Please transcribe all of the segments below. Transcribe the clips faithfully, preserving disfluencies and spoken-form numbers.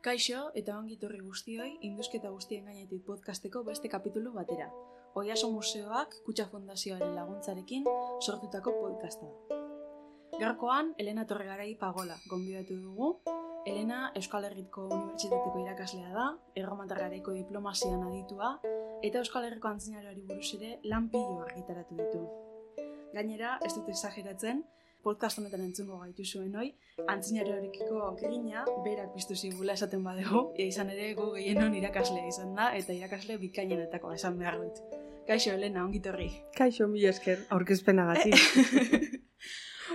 Kaixo eta ongi etorri guztioi Indusketa guztien gainetik podcasteko beste kapitulu batera. Oiaso Museoak Kutxa Fundazioaren laguntzarekin sortutako podcasta da. Gaurkoan, Elena Torregarai Pagola gonbidatu dugu. Elena Euskal Herriko Unibertsitateko irakaslea da, Erromatar Garaiko diplomazian aditua, eta Euskal Herriko antzinarioari buruz ere lan pilo argitaratu ditu. Gainera, ez dut exageratzen, podcast honetan entzungo gaitu zuen hoi, antzinarioarekiko grina berak piztu zigula esaten badegu, izan ere gu gehienon irakaslea izan da, eta irakasle bikainenetako esan behar dut. Kaixo, Elena, ongi torri. Kaixo, mi esker, aurkezpenagatik.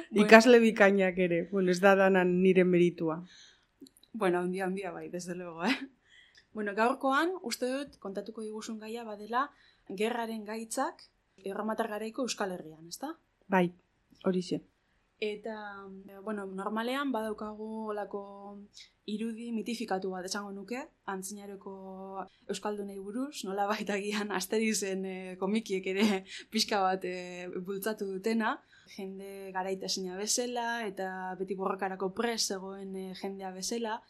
Bueno, ikasle bikainak ere, bueno, ez da danan nire meritua. Bueno, handia, handia bai, desde luego, eh? Bueno, gaurkoan, uste dut, kontatuko diguzun gaia badela, gerraren gaitzak Erromatar Garaiko Euskal Herrian, ezta? Bai, horixe. Eta, bueno, normalean badaukagu olako irudi mitifikatu bat esango nuke, antzinaroko euskaldunei buruz, nola baita gian Asterizen e, komikiek ere pixka bat e, bultzatu dutena, jende garaitesina bezala eta beti borrokarako prest zegoen e, jendea bezala,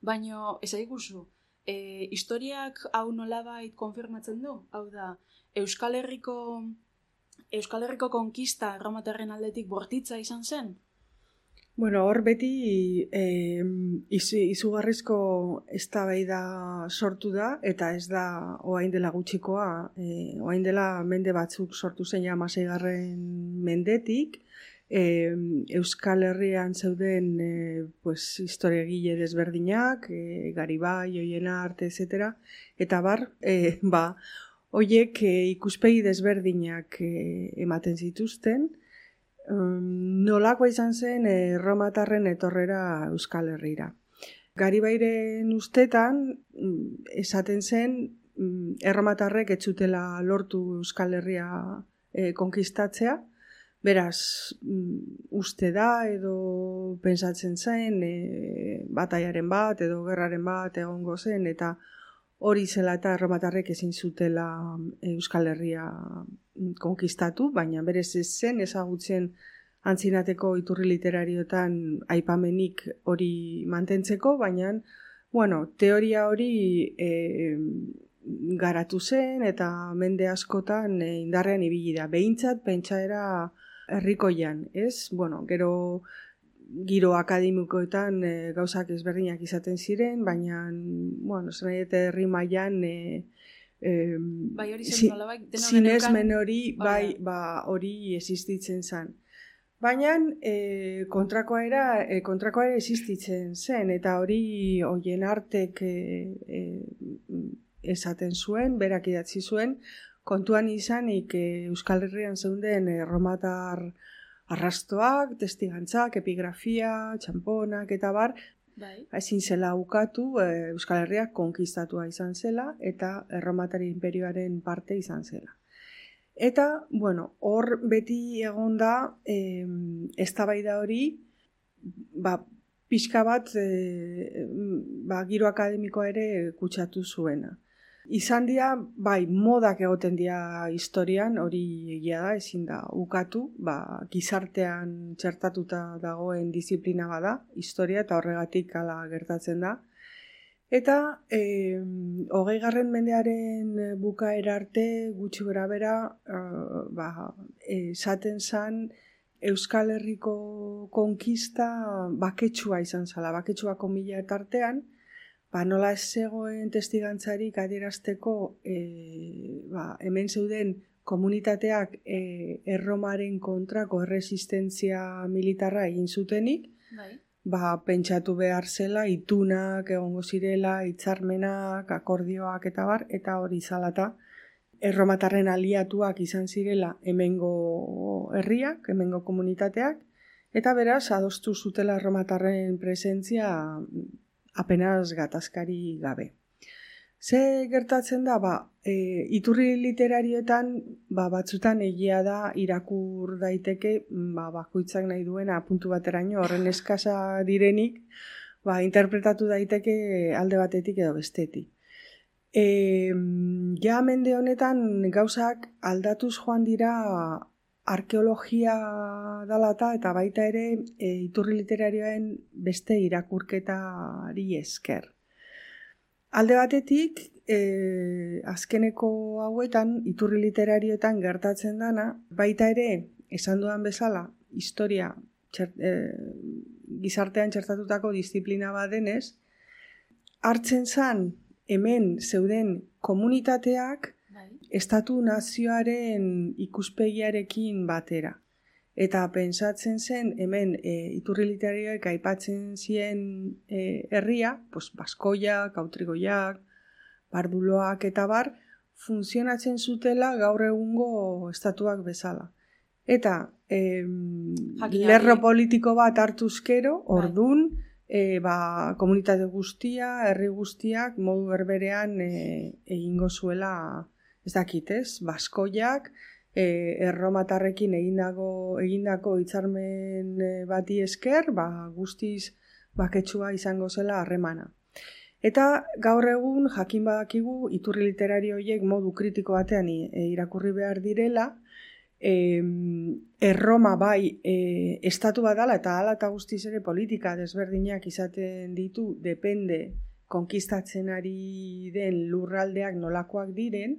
baino ez aiguzu, e, historiak hau nolabait konfirmatzen du, hau da, Euskal Herriko Euskal Herriko konkista erromatarren aldetik bortitza izan zen? Bueno, hor beti eh, izu, izugarrizko eztabaida sortu da, eta ez da orain dela gutxikoa, eh, orain dela mende batzuk sortu zen ja hamaseigarren mendetik, eh, Euskal Herrian zeuden eh, pues, historiagile desberdinak, eh, Garibai, Oienart, et cetera, eta bar, eh, ba, Hoiek e, ikuspegi desberdinak e, ematen zituzten, um, nolakoa izan zen e, erromatarren etorrera Euskal Herrira. Garibairen ustetan, esaten zen, erromatarrek ez zutela lortu Euskal Herria e, konkistatzea, beraz, uste da edo pentsatzen zen, e, bataiaren bat edo gerraren bat egongo zen, eta hori zela eta erromatarrek ezin zutela Euskal Herria konkistatu, baina berez ez zen ezagutzen antzinateko iturri literariotan aipamenik hori mantentzeko, baina bueno, teoria hori e, garatu zen eta mende askotan e, indarrean ibili da. Behintzat pentsaera herrikoian, ez? Bueno, gero giro akademikoetan e, gauzak ezberdinak izaten ziren, baina, bueno, zen nahi herri mailan e, e, bai, hori zen nola, bai, sinesmen hori, bai, ba, hori existitzen zen. Baina e, kontrakoa era, e, kontrakoa ere existitzen zen, eta hori Oienartek e, e, esaten zuen, berak idatzi zuen, kontuan izanik e, Euskal Herrian zeunden erromatar arrastoak, testigantzak, epigrafia, txamponak eta bar, bai. Ezin zela ukatu, e, Euskal Herriak konkistatua izan zela eta erromatari inperioaren parte izan zela. Eta, bueno, hor beti egon da, e, eztabaida hori, ba, pixka bat, e, ba, giro akademikoa ere kutsatu zuena. Izan dira, bai, modak egoten dira historian, hori egia da, ezin da ukatu, ba, gizartean txertatuta dagoen disiplina bada, historia, eta horregatik hala gertatzen da. Eta, e, hogeigarren mendearen bukaera arte, gutxi berabera, e, ba, esaten zen Euskal Herriko konkista baketsua izan zala, baketsua komila tartean, ba, nola ez zegoen testigantzarik adierazteko e, ba, hemen zeuden komunitateak e, erromaren kontrako erresistentzia militarra egin zutenik, bai. Ba, pentsatu behar zela, itunak egongo zirela, hitzarmenak, akordioak eta bar, eta hori zalata erromatarren aliatuak izan zirela hemengo herriak, hemengo komunitateak, eta beraz adostu zutela erromatarren presentzia apenas gatazkari gabe. Ze gertatzen da, ba, e, iturri literarioetan ba, batzutan egia da irakur daiteke, ba, bakoitzak nahi duena puntu bateraino horren eskasa direnik, ba, interpretatu daiteke alde batetik edo bestetik. E, ja mende honetan gauzak aldatuz joan dira arkeologia dalata eta baita ere e, iturri literarioen beste irakurketari esker. Alde batetik, e, azkeneko hauetan, iturri literarioetan gertatzen dana, baita ere, esan dudan bezala, historia txert, e, gizartean txertatutako disiplina bat denez, hartzen zan hemen zeuden komunitateak Bai. estatu nazioaren ikuspegiarekin batera. Eta pentsatzen zen hemen e, iturri literarioek aipatzen zien e, herria, pues, baskoiak, autrigoiak, barduloak eta bar, funtzionatzen zutela gaur egungo estatuak bezala. Eta e, lerro politiko bat hartuzkero, ordun, e, ba, komunitate guztia, herri guztiak, modu berberean e, egingo zuela, ez dakit, ez, baskoiak, E, erromatarrekin egindako, egindako hitzarmen bati esker, ba, guztiz baketsua izango zela harremana. Eta gaur egun jakin badakigu iturri literario horiek modu kritiko batean e, irakurri behar direla, e, Erroma bai e, estatu bat dala eta hala eta guztiz ere politika desberdinak izaten ditu, depende konkistatzen ari den lurraldeak nolakoak diren,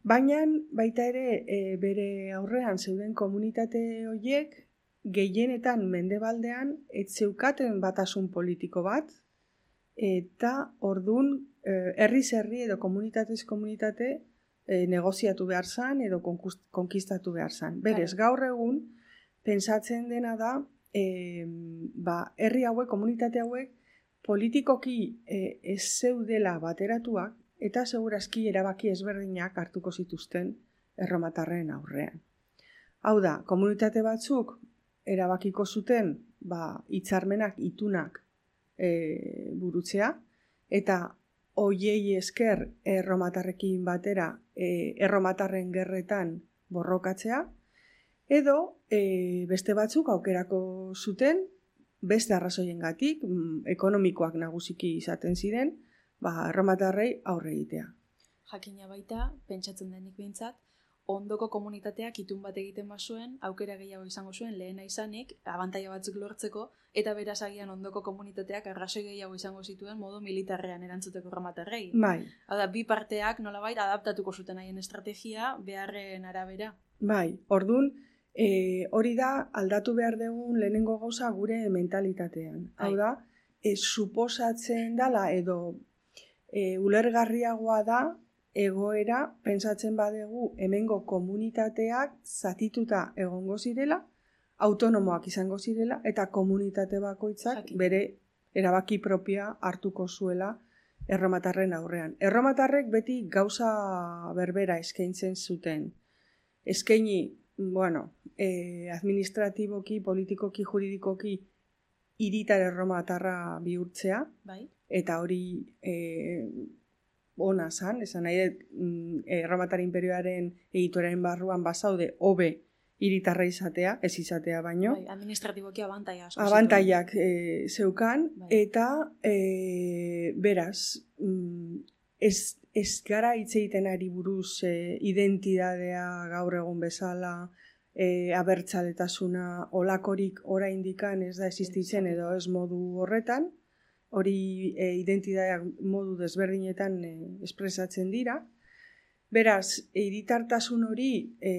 baina baita ere e, bere aurrean zeuden komunitate horiek gehienetan mendebaldean ez zeukaten batasun politiko bat eta ordun e, herriz herri edo komunitatez komunitate e, negoziatu behar zan edo konkistatu behar zan. Berez, gaur egun pentsatzen dena da e, ba, herri hauek, komunitate hauek politikoki e, ez zeudela bateratuak eta segurazki erabaki ezberdinak hartuko zituzten erromatarren aurrean. Hau da, komunitate batzuk erabakiko zuten ba, hitzarmenak, itunak e, burutzea, eta hoiei esker erromatarrekin batera e, erromatarren gerretan borrokatzea, edo e, beste batzuk aukerako zuten, beste arrazoiengatik, ekonomikoak nagusiki izaten ziren, ba, erromatarrei aurre egitea. Jakina baita, pentsatzen denik behintzat, ondoko komunitateak itun bat egiten bazuen, aukera gehiago izango zuen lehena izanik, abantaila batzuk lortzeko, eta beraz agian ondoko komunitateak arrazoi gehiago izango zituen modu militarrean erantzuteko erromatarrei. Bai. Hau da, bi parteak nolabait adaptatuko zuten haien estrategia beharren arabera. Bai, ordun, e, hori da aldatu behar dugun lehenengo gauza gure mentalitatean. Hau da, e, suposatzen dala edo E, ulergarriagoa da egoera pentsatzen badegu hemengo komunitateak zatituta egongo zirela, autonomoak izango zirela eta komunitate bakoitzak Jakin. bere erabaki propia hartuko zuela erromatarren aurrean. Erromatarrek beti gauza berbera eskaintzen zuten. Eskaini, bueno, e, administratiboki, politikoki, juridikoki hiritar erromatarra bihurtzea, Bai. eta hori e, ona zan, esan nahi dut, erromatar imperioaren egituaren barruan bazaude hobe hiritarra izatea, ez izatea baino. Bai, administratiboki abantaia asko. Abantaiak e, zeukan, Bai. eta e, beraz, ez, ez gara hitz egiten ari buruz e, identidadea gaur egun bezala, e, abertzaletasuna olakorik oraindikan ez da existitzen edo ez modu horretan, hori e, identitateak modu desberdinetan e, espresatzen dira. Beraz, hiritartasun hori e,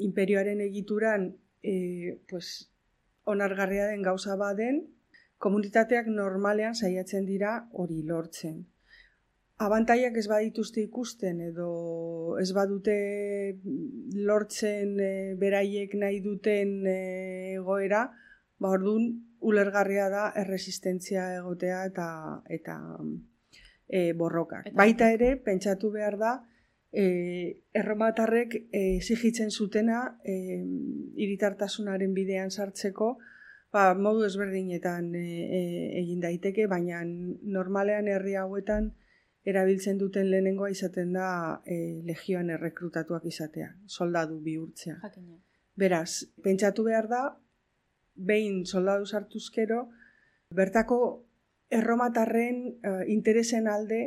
imperioaren egituran e, pues, onargarria den gauza baden, komunitateak normalean saiatzen dira hori lortzen. Abantaiak ez badituzte ikusten edo ez badute lortzen e, beraiek nahi duten e, egoera, ba ordun ulergarria da erresistentzia egotea eta eta e, borrokak. Eta, baita ere, pentsatu behar da, e, erromatarrek e, exigitzen zutena e, hiritartasunaren bidean sartzeko, ba, modu ezberdinetan e, e, egin daiteke, baina normalean herri hauetan erabiltzen duten lehenengoa izaten da e, legioan errekrutatuak izatea, soldadu bihurtzea. Jakina. Beraz, pentsatu behar da, behin soldadu sartuzkero, bertako erromatarren uh, interesen alde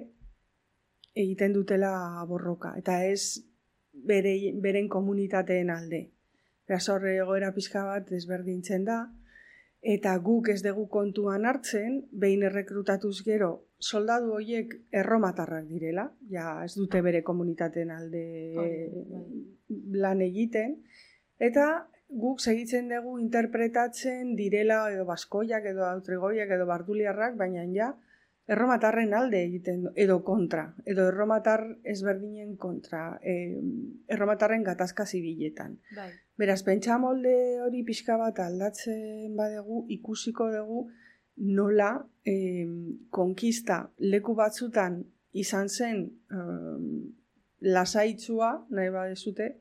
egiten dutela borroka, eta ez bere, beren komunitateen alde. Beraz, horre egoera pixka bat desberdintzen da, eta guk ez dugu kontuan hartzen, behin errekrutatuz gero, soldadu horiek erromatarrak direla, ja ez dute bere komunitateen alde lan egiten, eta guk segitzen dugu interpretatzen direla edo baskoiak edo autrigoiak edo barduliarrak, baina ja erromatarren alde egiten edo kontra, edo erromatar ezberdinen kontra, e, erromatarren gatazka zibiletan. Bai. Beraz, pentsa molde hori pixka bat aldatzen badegu, ikusiko dugu nola e, konkista leku batzutan izan zen e, lasaitzua, nahi badezute,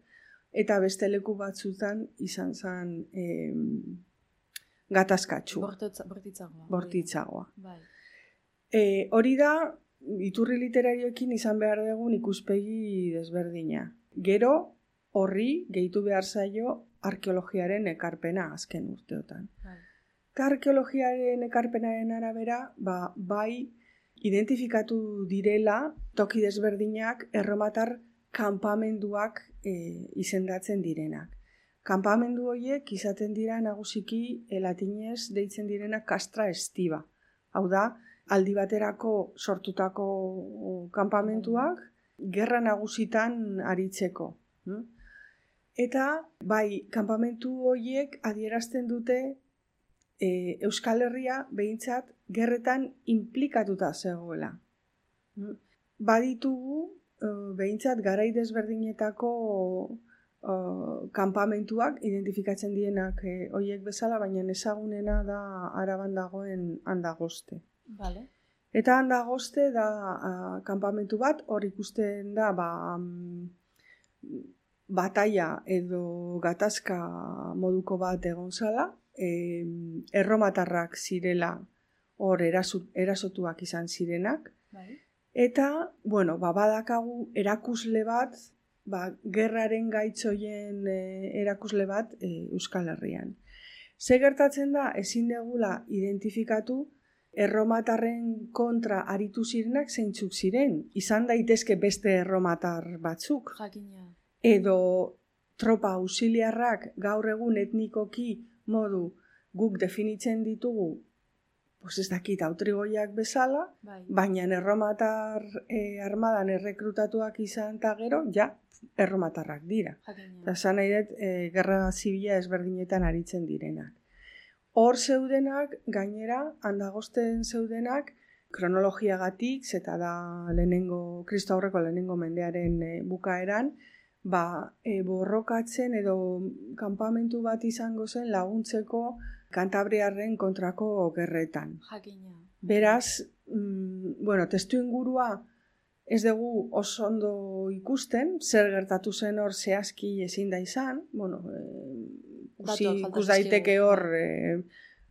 eta beste leku batzutan izan zen e, gatazkatxua. Bortitzagoa. Bortitzagoa. Bai. E, hori da, iturri literarioekin izan behar dugun ikuspegi desberdina. Gero, horri gehitu behar zaio arkeologiaren ekarpena azken urteotan. Bai. Eta arkeologiaren ekarpenaren arabera, ba, bai identifikatu direla toki desberdinak erromatar kanpamenduak e, izendatzen direnak. Kanpamendu horiek izaten dira nagusiki e, latinez deitzen direnak castra estiva. Hau da, aldi baterako sortutako kanpamentuak gerra nagusitan aritzeko. Eta bai, kanpamentu horiek adierazten dute e, Euskal Herria behintzat gerretan inplikatuta zegoela. Baditugu e, behintzat garai desberdinetako e, kanpamentuak identifikatzen dienak e, horiek bezala, baina ezagunena da Araban dagoen Andagoste. Vale. Eta Andagoste da uh, kanpamentu bat, hor ikusten da ba, um, bataia edo gatazka moduko bat egon zala, e, erromatarrak zirela hor erasut, erasotuak izan zirenak, bai. Eta, bueno, ba, badakagu erakusle bat, ba, gerraren gaitzoien e, erakusle bat e, Euskal Herrian. Ze gertatzen da, ezin degula identifikatu erromatarren kontra aritu zirenak zeintzuk ziren. Izan daitezke beste erromatar batzuk. Jakina. Edo tropa auxiliarrak gaur egun etnikoki modu guk definitzen ditugu, pues ez dakit autrigoiak bezala, bai. Baina erromatar e, armadan errekrutatuak izan eta gero, ja, erromatarrak dira. Jakina. Eta esan nahi dut, e, gerra zibila ezberdinetan aritzen direnak. Hor zeudenak, gainera, Andagosten zeudenak, kronologiagatik, zeta da lehenengo, Kristo aurreko lehenengo mendearen e, bukaeran, ba, e, borrokatzen edo kanpamentu bat izango zen laguntzeko Kantabriarren kontrako gerretan. Jakina. Beraz, mm, bueno, testu ingurua ez dugu oso ondo ikusten, zer gertatu zen hor zehazki ezin da izan, bueno, e, Kusi, ikus daiteke hor e,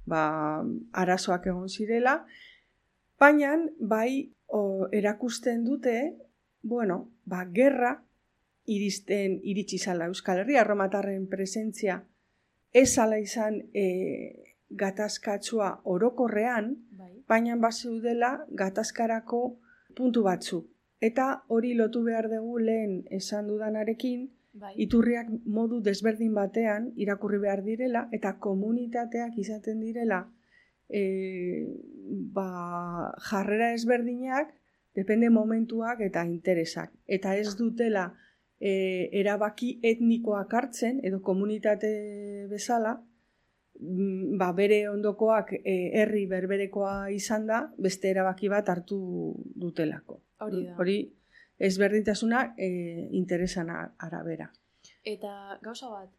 ba, arazoak egon zirela, baina bai o, erakusten dute, bueno, ba, gerra iristen iritsi zala Euskal Herria, erromatarren presentzia ez zala izan e, gatazkatsua orokorrean, bai. Baina bazeudela gatazkarako puntu batzu. Eta hori lotu behar dugu lehen esan dudanarekin, bai. Iturriak modu desberdin batean irakurri behar direla eta komunitateak izaten direla e, ba, jarrera ezberdinak depende momentuak eta interesak. Eta ez dutela e, erabaki etnikoak hartzen edo komunitate bezala, ba, bere ondokoak e, herri berberekoa izan da, beste erabaki bat hartu dutelako. Hori da. Hori ezberdintasuna e, interesan arabera. Eta gauza bat,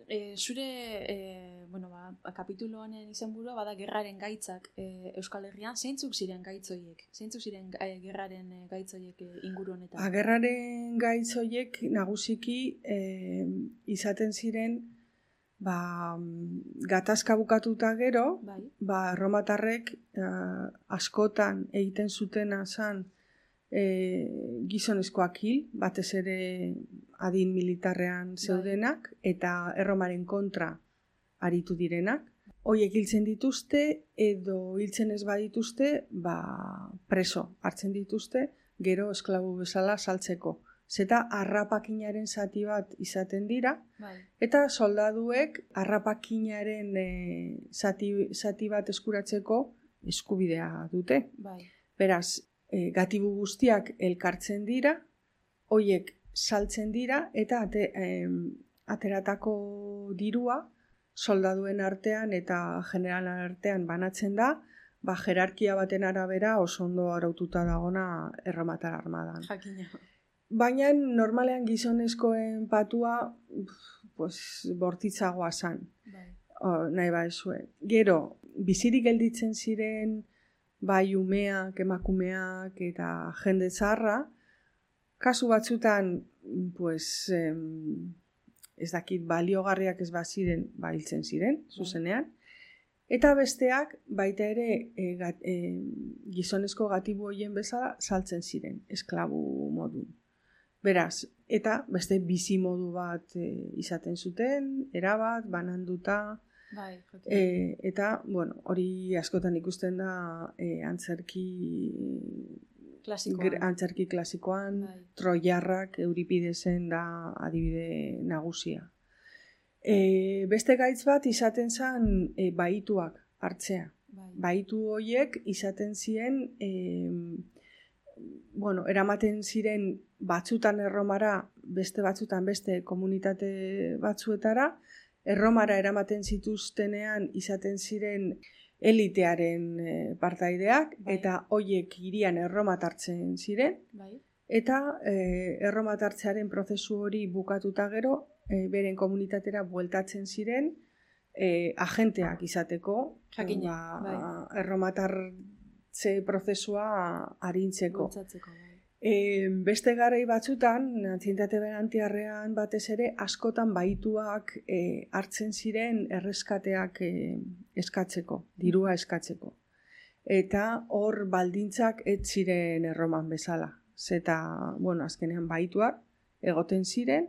e, zure e, bueno, ba, kapitulu honen izenburua bada gerraren gaitzak e, Euskal Herrian, zeintzuk ziren gaitzoiek? Zeintzuk ziren e, gerraren e, gaitzoiek e, inguru honetan? A, gerraren gaitzoiek nagusiki e, izaten ziren ba, gatazka bukatuta gero, bai. Ba, erromatarrek e, askotan egiten zutena zan E, gizonezkoak hil, batez ere adin militarrean zeudenak, eta erromaren kontra aritu direnak. Hoiek hiltzen dituzte, edo hiltzen ez badituzte, ba, preso hartzen dituzte, gero esklabu bezala saltzeko zeta harrapakinaren zati bat izaten dira, bai. eta soldaduek harrapakinaren e, zati, zati bat eskuratzeko eskubidea dute. Bai. Beraz, e, gatibu guztiak elkartzen dira, hoiek saltzen dira, eta ate, e, ateratako dirua soldaduen artean eta generalen artean banatzen da, ba, jerarkia baten arabera oso ondo araututa dagona erromatar armadan. Jakina. Baina normalean gizonezkoen patua pues, bortitzagoa zan. Bai. O, nahi ba ezuen. Gero, bizirik gelditzen ziren bai umeak, emakumeak eta jende zaharra, kasu batzutan pues, em, ez dakit baliogarriak ez baziren, ba hiltzen ziren, zuzenean. Eta besteak, baita ere, e, gat, e, gizonezko gatibu horien bezala saltzen ziren, esklabu modu. Beraz, eta beste bizi modu bat e, izaten zuten, erabat, bananduta, bai, e, eta, bueno, hori askotan ikusten da e, antzerki klasikoan. Antzerki klasikoan, bai. Troiarrak, Euripidesen da adibide nagusia. E, beste gaitz bat izaten zen e, baituak hartzea. Bai. Baitu horiek izaten ziren, e, bueno, eramaten ziren batzutan Erromara, beste batzutan beste komunitate batzuetara, Erromara eramaten zituztenean izaten ziren elitearen e, partaideak, bai. eta hoiek hirian erromatartzen ziren, Bai. eta e, erromatartzearen prozesu hori bukatuta gero, e, beren komunitatera bueltatzen ziren, e, agenteak izateko, Jakina, ba, bai. erromatartze prozesua arintzeko. Bultzatzeko, bai. E, beste garai batzutan, antzientate berantiarrean batez ere, askotan baituak e, hartzen ziren erreskateak e, eskatzeko, dirua eskatzeko. Eta hor baldintzak ez ziren Erroman bezala. Zeta, bueno, azkenean baituak egoten ziren,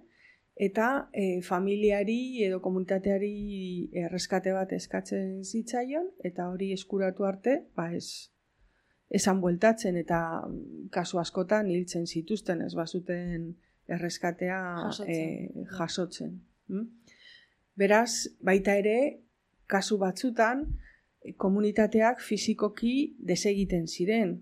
eta e, familiari edo komunitateari erreskate bat eskatzen zitzaion, eta hori eskuratu arte, ba ez, esan bueltatzen eta kasu askotan hiltzen zituzten, ez bazuten erreskatea jasotzen. E, jasotzen. Hm? Beraz, baita ere, kasu batzutan, komunitateak fisikoki desegiten ziren,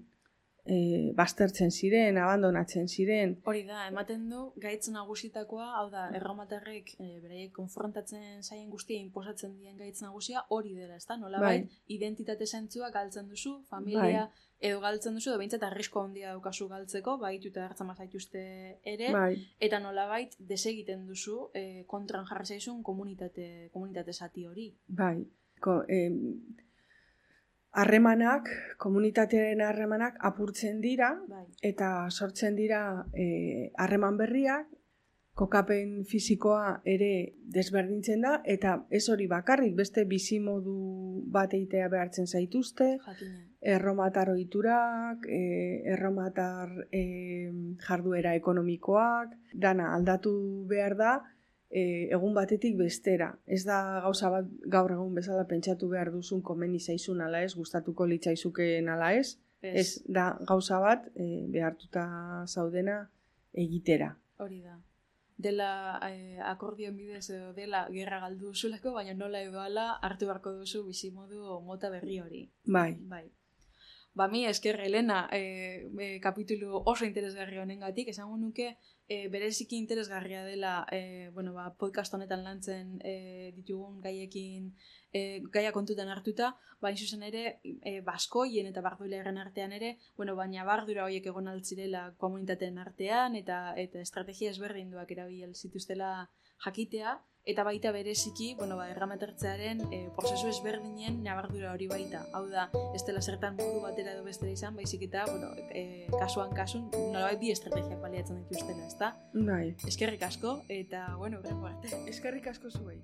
e, baztertzen ziren, abandonatzen ziren. Hori da, ematen du, gaitz nagusitakoa, hau da, erromatarrek e, beraiek konfrontatzen zaien guztia inposatzen dien gaitz nagusia hori dela, ezta? Nolabait, Bai. identitate zentzua galtzen duzu, familia, Bai. edo galtzen duzu, edo behintzat arrisko handia daukazu galtzeko, baituta hartzen mazaituzte ere, Bai. eta nolabait desegiten duzu e, kontran jarri zaizun komunitate, komunitate zati hori. Bai. Ko, em, harremanak, komunitatearen harremanak apurtzen dira, Bai. eta sortzen dira eh, harreman berriak, kokapen fisikoa ere desberdintzen da, eta ez hori bakarrik, beste bizimodu bat eitea behartzen zaituzte, Jakina. erromatar ohiturak, eh, erromatar eh, jarduera ekonomikoak, dana aldatu behar da, E, egun batetik bestera. Ez da gauza bat gaur egun bezala pentsatu behar duzun komeni zaizun ala ez, gustatuko litzaizukeen ala ez. Ez, ez da gauza bat e, behartuta zaudena egitera. Hori da. Dela eh, akordioen bidez edo dela gerra galdu duzulako, baina nola edo ala hartu beharko duzu bizimodu mota berri hori. Bai. Bai. Ba, mi esker Elena, e, e, kapitulu oso interesgarri honengatik, esango nuke e, bereziki interesgarria dela e, bueno, ba, podcast honetan lantzen e, ditugun gaiekin e, gaia kontutan hartuta, baina zuzen ere e, baskoien eta barduilearen artean ere, bueno, baina bardura horiek egon altzirela komunitateen artean eta eta estrategia ezberdinduak erabil zituztela jakitea, eta baita bereziki, bueno, ba, erramatertzearen e, prozesu ezberdinen nabardura hori baita. Hau da, ez dela zertan modu batera edo bestera izan, baizik eta, bueno, e, kasuan kasun, nolabait bi estrategiak baliatzen dituztela, ezta? Bai. Eskerrik asko, eta, bueno, horrengo arte. Eskerrik asko zuei.